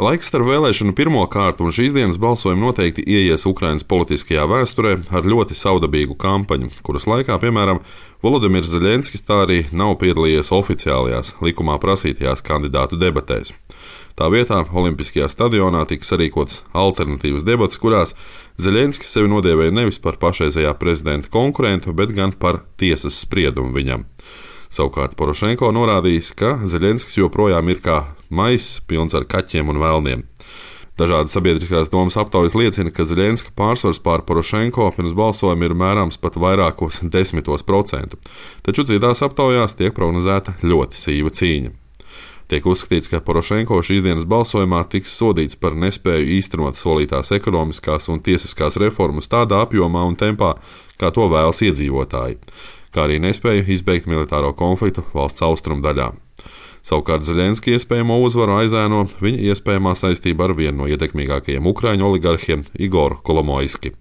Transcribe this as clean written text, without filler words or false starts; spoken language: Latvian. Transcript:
Laiks starp vēlēšanu pirmo kārtu un šīs dienas balsojumu noteikti ieies Ukrainas politiskajā vēsturē ar ļoti savdabīgu kampaņu, kuras laikā, piemēram, Volodimirs Zeļenskis tā arī nav piedalījies oficiālajās, likumā prasītajās kandidātu debatēs. Tā vietā Olimpiskajā stadionā tika sarīkots alternatīvas debats, kurās Zeļenskis sevi nodēvēja nevis par pašreizējā prezidenta konkurentu, bet gan par tiesas spriedumu viņam. Savukārt Porošenko norādījis, ka Zeļenskis joprojām ir kā maiss pilns ar kaķiem un vēlniem. Dažādas sabiedriskās domas aptaujas liecina, ka Zeļenska pārsvars pār Porošenko pirms balsojuma ir mērāms pat vairākos 10%, taču citās aptaujās tiek prognozēta ļoti sīva cīņa. Tiek uzskatīts, ka Porošenko šīs dienas balsojumā tiks sodīts par nespēju īstenot solītās ekonomiskās un tiesiskās reformas tādā apjomā un tempā, kā to vēlas iedzīvotāji, kā arī nespēju izbeigt militāro konfliktu valsts austrumu daļā. Savukārt Zeļenska iespējamo uzvaru aizēno viņa iespējamā saistība ar vienu no ietekmīgākajiem ukraiņu oligarhiem Igoru Kolomoiski.